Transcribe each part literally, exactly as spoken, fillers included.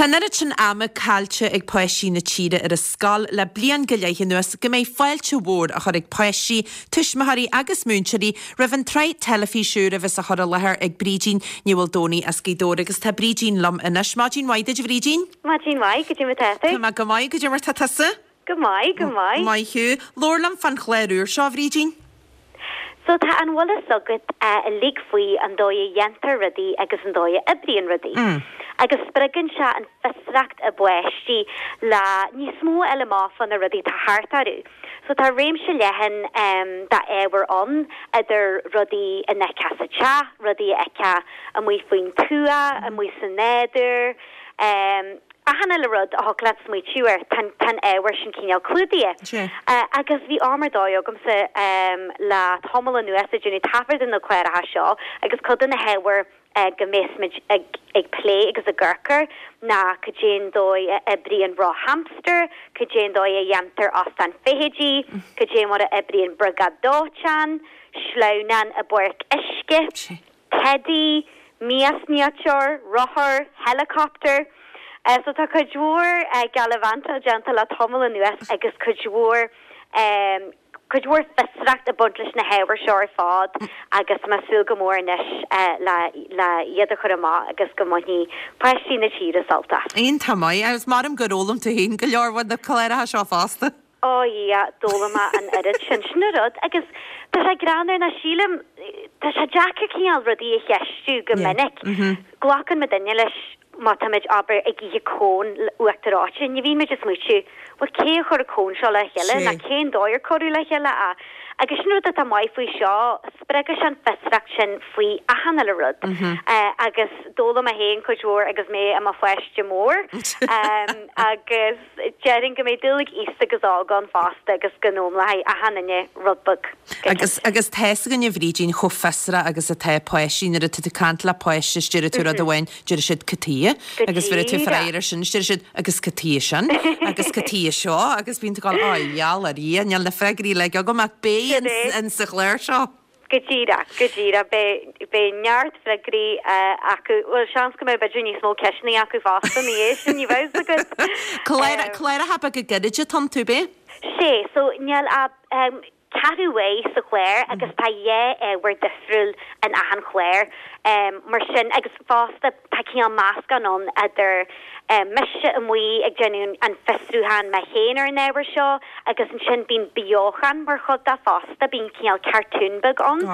Tá an oiread sin ama caillte ag páistí na tíre ar an scoil le bliain go leith anuas go mbeidh fáilte mhór á chur ag páistí, tuismitheoirí agus múinteoirí roimh an tsraith teilifíse úr a bheas á chur i láthair ag Brídín Ní Mhaoldomhnaigh as Gaoth Dobhair agus tá Brídín liom anois. Maidin mhaith duit a Bhrídín? Maidin mhaith, goidé mar tá tú? Tá mé go maith, goidé mar tá tusa? Go maith, go maith. Maith thú. Labhair liom fán chlár úr seo, a Bhrídín. So tá an bhfuil fhios agat uilig faoi an dóigh a dhéantar rudaí agus an dóigh a oibríonn rudaí. Agus spreagann sé an fiosracht i bpáistí le níos mó a fháil amach fá na rudaí atá thart orthu. So tá réimse leathan d'ábhar ann, idir rudaí a bhfeicfeá sa teach, rudaí a fheicfeá amuigh faoin tuath, amuigh sa nádúr, achan uile rud a thiocfadh leat smaoitiú air, tá an ábhar sin cineál clúdaithe. Agus bhí am ar dóigh agamsa le tamall anuas ag déanamh taifead de na cláracha seo agus cuid de na hábhair go mbeas muid ag plé agus ag amharc air ná cad é an dóigh a oibríonn roth hamster, cad é an dóigh a dhéantar óstán feithidí, cad é mar a oibríonn briogáid dóiteáin, sleamhnán i bpáirc uisce. Teidí, miasniteoir, rothar, helicopter. So tá cuid mhór gallivantáil déanta le tamall anuas agus cuid mhór cuid mhór fiosracht ag baint leis na hábhair seo ar fad agus tá mé ag súil go mór anois le le iad a chur amach agus go mbainfidh páistí na tíre sult as. Iontach maith agus maram gur fhoghlaim tú féin go leor ó na cláracha seo fosta. Ó a Dhia, d'fhoghlaim mé an oiread sin. Sin an rud. Agus tá sé greannmhar ná sílim, tá sé deacair cineál rudaí a cheistiú go minic. Glacann muidinne leis má táimid, abair, ag ithe cón uachtar reoite, ní bhíonn muid ag smaoitiú, bhuel cé a chuir an cón seo le chéile nó cén dóigh ar cuireadh le chéile é. Agus sin rud atá maith faoi seo, spreagfaidh sé an fiosracht sin faoi achan uile rud. Agus d'fhoghlaim mé féin cuid mhór agus mé i mo pháiste mór. Agus. Déarfainn go mbeidh dúil ag aosta agus óg ann fosta agus go n-fhoghlaimeoidh achan duine rud beag. Agus agus tá fhios againn a Bhrídín chomh fiosrach agus atá páistí nuair atá tú ag caint le páiste is deir tú rud amháin deir siad cad chuige agus bheir tú freagra air sin is deir siad agus cad chuige sin agus cad chuige seo agus bíonn tú ag gabháil á gheall ar Dhia níl na freagraí uilig agam ach beidh in sa chlár seo. Go díreach, go díreach. Beidh, beidh neart freagraí acu. Bhuel, seans go mbeidh b'fhéidir níos mó ceisteanna acu fosta ina dhiaidh sin, ní bheadh fhios agat. Clár, cláracha beaga gairide atá iontu, ab ea? Sea, so níl ach ceathrú uair sa chlár agus tá dhá ábhar difriúil in achan chlár. Mar sin, agus fosta tá cineál meascán ann idir mise amuigh ag déanamh an fiosrúchán mé féin ar an ábhar seo agus ansin bíonn beochan mar chuid de fosta, bíonn cineál cartún beag ann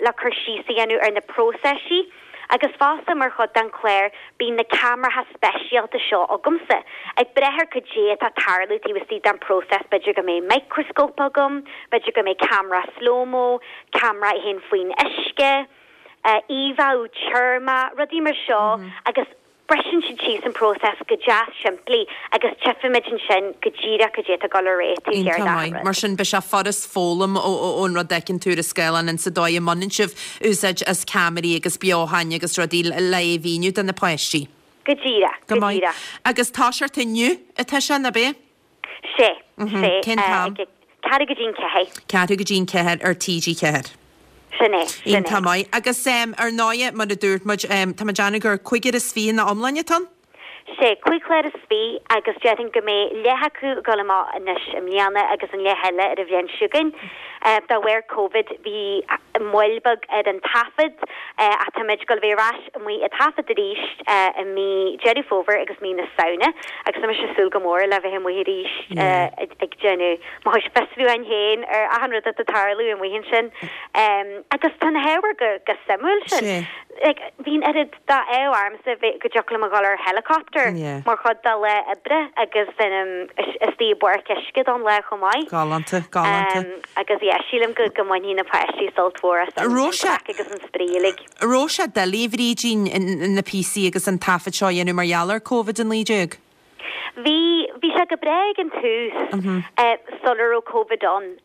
le cur síos a dhéanamh ar na próiseisí agus fosta mar chuid den chlár bíonn na ceamaracha speisialta seo agamsa ag breith ar cad é atá ag tarlú taobh istigh den próiseas, b'fhéidir go mbeidh microscope agam, b'fhéidir go mbeidh ceamara slow-mo, ceamara a théann faoin uisce, íomháú teirmeach, rudaí mar seo agus. Briseann siad síos an próiseas go deas simplí agus tchífimid ansin go díreach cad é atá ag dul ar aghaidh taobh thiar Iontach d'achan maith. rud. Mar sin, beidh sé furast foghlaim ón rud a fheiceann tú ar an scáileán in sa dóigh a mbaineann sibh úsáid as ceamaraí agus beochain agus rudaí le é a mhíniú do na páistí. Go díreach, Go go maith. díreach. Agus toiseacht inniu atá sé, ná b'é? Sé, sé. Cén t-am? Ag ceathrú go dtí an ceathair. Ceathrú go dtí an ceathair ar T G ceathair. Sin é, sin é. Iontach maith. Agus ar ndóighe, mar a dúirt muid, tá mé ag déanamh gur cúigear is fiche ina iomláine atá ann? Sé, cúig chlár is fiche agus déarfainn go mbeidh leath acu ag dul amach anois i mbliana agus an leath eile ar an bhliain seo chugainn. De bharr Covid bhí moill beag ar an taifead ach táimid ag dul a bheith ar ais amuigh ag taifead arís i mí Deireadh Fómhair agus mí na Samhna agus tá mise ag súil go mór le bheith amuigh arís ag déanamh mo chuid fiosrúcháin féin ar achan rud atá ag tarlú amuigh ansin. Agus tá na hábhair go go suimiúil sin. Like bhí an oiread d'ádh ormsa bheith go dtiocfadh liom a dhul ar helicopter mar chuid de lá oibre agus bheinn istigh i bpáirc uisce don lá chomh maith. Galánta, galánta. Agus yeah, sílim go go mbainfidh na páistí sult mhór as an craic agus an spraoi uilig. Raibh sé doiligh, a Bhrídín, na píosaí agus an taifead seo a dhéanamh mar gheall ar Covid a naoi déag? Bhí, bhí sé go breá ag an tús, sula raibh Covid ann,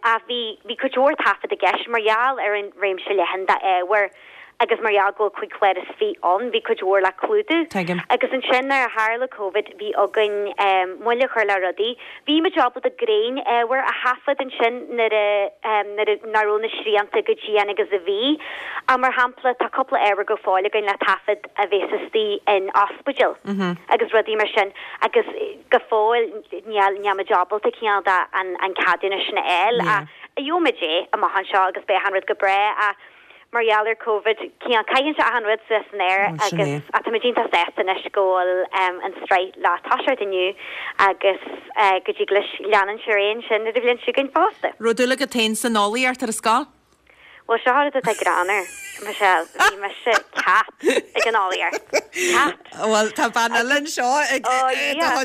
ach bhí, bhí cuid mhór taifead i gceist mar gheall ar an réimse leathan d'ábhair agus mar gheall go bhfuil cúig chlár is fiche ann, bhí cuid mhór le clúdú. Tuigim. Agus ansin nuair a tharla Covid bhí againn moill a chur le rudaí. Bhí muid ábalta grinnÁbhar a thaifead ansin nuair a nuair a nach raibh na srianta chomh dian agus a bhí. Ach mar shampla tá cúpla ábhar go fóill againn le taifead a bheas istigh in ospidéal agus rudaí mar sin agus go fóill níl níl muid ábalta cineál de an an ceadúnas sin a fháil ach gheobhaidh muid é amach anseo agus beidh achan rud go breá ach mar gheall ar Covid cineál caitheann sé achan rud suas san aer agus ach tá muid iontach sásta anois go bhfuil an tsraith le toiseacht inniu agus go dtig leis leanúint ar aghaidh ansin ar an bhliain seo chugainn fosta. Raibh dúil agat féin san eolaíocht ar an scoil? Bhuel seo rud atá greannmhar, Michelle, bhí mise cat ag an eolaíocht. Cat! Bhuel tá bean eile anseo ag Oh yeah.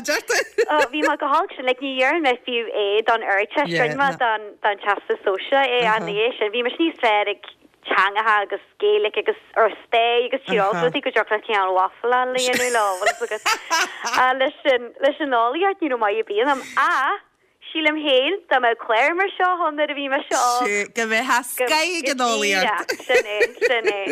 Oh bhí mé go holc sin, like ní dhearna mé fiú é don Ardteist, rinne mé don don Teastas Sóisearach é ach ní é sin, bhí mise níos fearr ag teangacha agus Gaeilge agus or stair agus tír mm rudaí go dtiocfadh leat cineál waffle a dhéanamh leo, bhfuil a fhios agat. Ach leis an leis an eolaíocht ní raibh maith ar bith ionam ach sílim féin dá mbeadh clár mar seo ann nuair a bhí mise óg Sea, go mbeifeá scoth ag an go eolaíocht. díreach, sin é, sin é.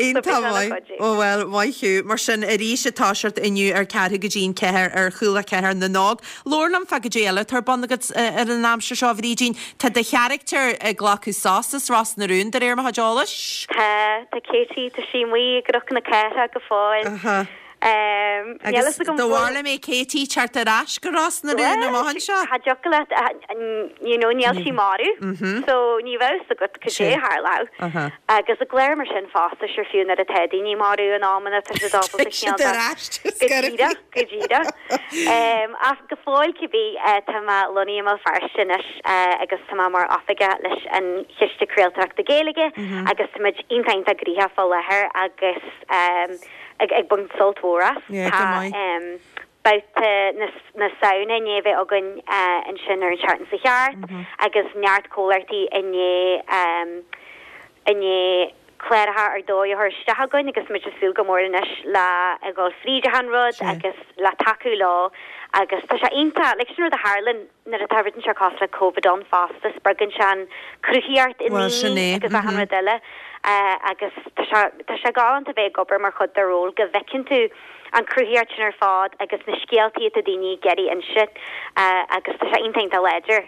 Iontach maith. Ó bhuel, maith thú. Mar sin, arís ag toiseacht inniu ar ceathrú go dtí an ceathair ar Chúla Ceathair na nÓg. Labhair liom fá goidé eile atá ar bun agat ar an aimsir seo, a Bhrídín. Tá do charachtar ag glacadh sos as Ros na Rún, de réir mo chuid eolais? Tá, tá Katie, tá sí amuigh i gCnoc na Cathrach go fóill. Aha. Níl Agus fhios agam do bhfuil. bhfuil mé Katie teacht ar ais go Ros na Rún amach anseo? Cha dtiocfadh leat, you know, níl sí marbh, so ní bheadh fhios agat cad é a tharlódh. Aha. Agus i gclár mar sin fosta, sure fiú nuair atá daoine marbh in amanna tá siad ábalta Tá siad cineál de ar ais Go díreach, go díreach. Ach go fóill cibé, tá mé lonnaithe i mBéal Feirste anois agus tá mé mar oifigeach leis an Chiste Craoltóireachta Gaeilge agus tá muid iontach iontach gnoitheach fá láthair agus ag ag baint sult mhór as. Yeah, go Tá maith. babhta na na Samhna i ndiaidh a bheith againn ansin ar an tseachtain seo thart agus neart comhlachtaí i ndiaidh i ndiaidh cláracha ar dóigh a chur isteach againn agus muid ag súil go mór anois le a dhul fríd achan rud agus le tacú leo agus tá sé iontach, like sin rud a tharlann nuair atá rud inteacht cosúil le Covid ann fosta, spreagann sé an chruthaíocht i Bhuel sin ndaoine é, agus achan mhm. rud eile agus tá sé tá sé galánta bheith ag obair mar chuid de ról go bhfeiceann tú an chruthaíocht sin ar fad agus na scéaltaí atá daoine ag iarraidh inse agus tá sé iontach iontach láidir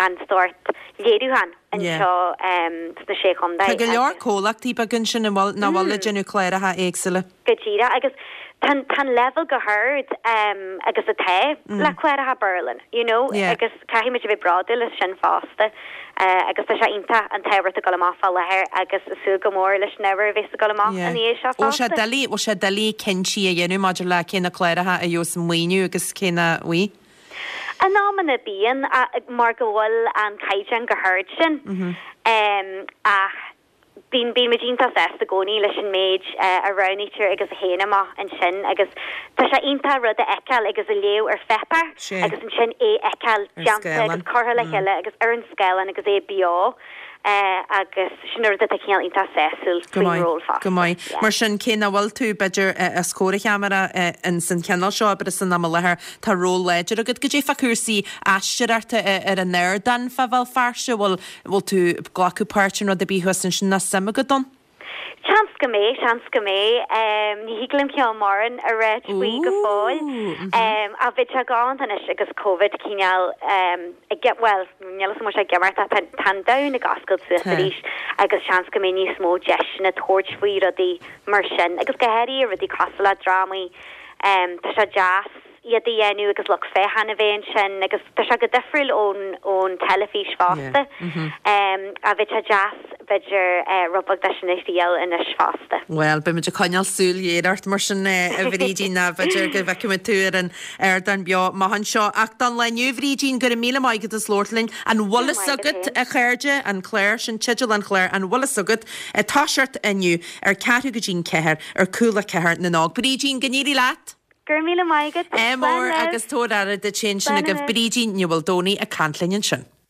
an sórt léiriúchán anseo sna Sé Chontae. Tá go leor comhlachtaí beaga ansin an bhfuil nach bhfuil ag déanamh cláracha éagsúla. Go díreach agus tá tá an leibhéal go hard agus atá le cláracha Béarla, you know, agus caithfidh muid a bheith bródúil as sin fosta agus tá sé iontach an t-ábhar atá ag dul amach fá láthair agus ag súil go mór leis an ábhar a bheas ag dul amach ina dhiaidh seo Bhfuil sé fosta. doiligh, bhfuil sé doiligh cinntí a dhéanamh maidir le cé na cláracha a gheobhas maoiniú agus cé nach bhfuil? In amanna bíonn, mar go bhfuil an caighdeán go hard sin. Ach bíonn bíonn muid iontach sásta i gcónaí leis an méid a roghnaítear agus a théann amach ansin agus tá sé iontach rud a fheiceáil agus a léamh ar pháipéar agus ansin é a fheiceáil déanta agus curtha le chéile agus ar an scáileán agus é beo. Agus sin rud atá cineál iontach sásúil Go faoin maith, ról go fosta. maith. Yeah. Mar sin, cé nach bhfuil tú, b'fhéidir, os comhair an cheamara ins an chineál seo oibre san am i láthair, tá ról láidir agat. Goidé fá chúrsaí aisteoireachta ar an ardán fá Bhéal Feirste, bhfuil, bhfuil tú ag glacadh páirt in rud ar bith thuas ansin ná suim agat ann? Seans go mbeidh, seans go mbeidh. Ní thig liom cineál mórán a ráit faoi go fóill. Ach bheadh sé galánta anois agus Covid cineál ag, bhuel, níl 'fhios agam an bhfuil sé ag imeacht ach tá an domhan ag oscailt suas arís agus seans go mbeidh níos mó deiseanna tabhairt faoi rudaí mar sin agus go háirithe rudaí cosúil le drámaí. Tá sé deas iad a dhéanamh agus lucht féachana a bheith ansin agus tá sé go difriúil ón ón teilifís fosta. Ach bheadh sé deas b'fhéidir rud beag de sin a thriail anois fosta. Bhuel, beidh muid ag coinneáil súil ghéar ort mar sin a Bhrídín, ná b'fhéidir go bhfeicfidh muid tú ar an ardán beo amach anseo. Ach don lá inniu, Bhrídín, go raibh míle maith agat as labhairt linn. An bhfuil fhios agat, a chairde, an clár sin, teideal an chláir, an bhfuil fhios agat, ag toiseacht inniu ar ceathrú go dtí'n ceathair ar Cúla Ceathair na nÓg. Brídín, go n-éirí leat! Go raibh míle maith agat. Ádh Slán mór libh. agus tabhair aire duit féin. Sin Slán agaibh anois. Brídín Ní Mhaoldomhnaigh ag caint linn ansin.